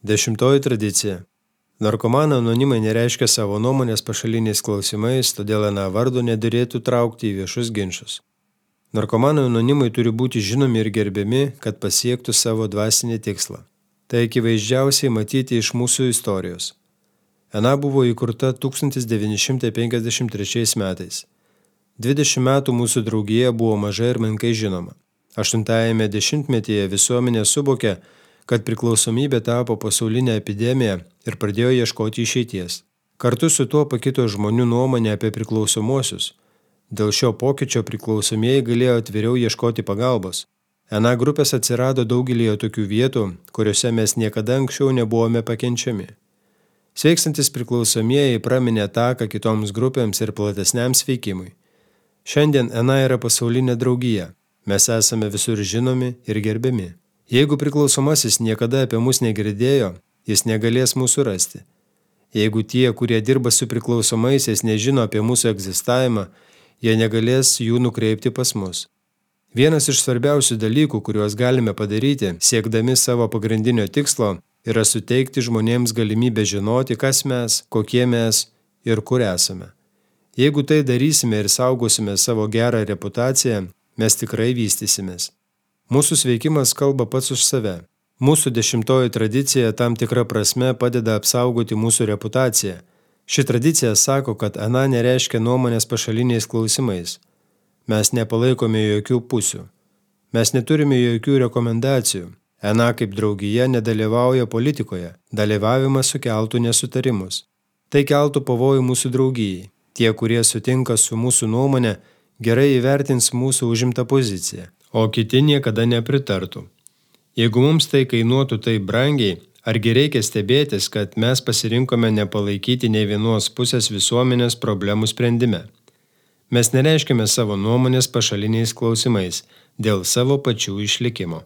10 tradicija. Narkomanų anonimai nereiškia savo nuomonės pašaliniais klausimais, todėl aną vardo nedėrėtų traukti į viešus ginčus. Narkomanų anonimai turi būti žinomi ir gerbiami, kad pasiektų savo dvasinį tikslą. Tai akivaizdžiausiai matyti iš mūsų istorijos. Ana buvo įkurta 1953 metais. 20 metų mūsų draugija buvo mažai ir menkai žinoma. 8-ame dešimtmetyje visuomenė suvokė, kad priklausomybė tapo pasaulinė epidemija ir pradėjo ieškoti išeities. Kartu su tuo pakito žmonių nuomonė apie priklausomuosius. Dėl šio pokyčio priklausomieji galėjo atviriau ieškoti pagalbos. Ana grupės atsirado daugelį tokių vietų, kuriuose mes niekada anksčiau nebuvome pakenčiami. Sveikstantis priklausomieji praminė taką kitoms grupėms ir platesniam sveikimui. Šiandien Ana yra pasaulinė draugija. Mes esame visur žinomi ir gerbiami. Jeigu priklausomasis niekada apie mus negirdėjo, jis negalės mūsų rasti. Jeigu tie, kurie dirba su priklausomaisiais, nežino apie mūsų egzistavimą, jie negalės jų nukreipti pas mus. Vienas iš svarbiausių dalykų, kuriuos galime padaryti, siekdami savo pagrindinio tikslo, yra suteikti žmonėms galimybę žinoti, kas mes, kokie mes ir kur esame. Jeigu tai darysime ir saugosime savo gerą reputaciją, mes tikrai vystysimės. Mūsų sveikimas kalba pats už save. Mūsų 10 tradicija tam tikra prasme padeda apsaugoti mūsų reputaciją. Ši tradicija sako, kad Ana nereiškia nuomonės pašaliniais klausimais. Mes nepalaikome jokių pusių. Mes neturime jokių rekomendacijų. Ana kaip draugija nedalyvauja politikoje. Dalyvavimas sukeltų nesutarimus. Tai keltų pavojų mūsų draugijai. Tie, kurie sutinka su mūsų nuomonė, gerai įvertins mūsų užimtą poziciją, o kiti niekada nepritartų. Jeigu mums tai kainuotų taip brangiai, argi reikia stebėtis, kad mes pasirinkome nepalaikyti nei vienos pusės visuomenės problemų sprendime. Mes nereiškime savo nuomonės pašaliniais klausimais dėl savo pačių išlikimo.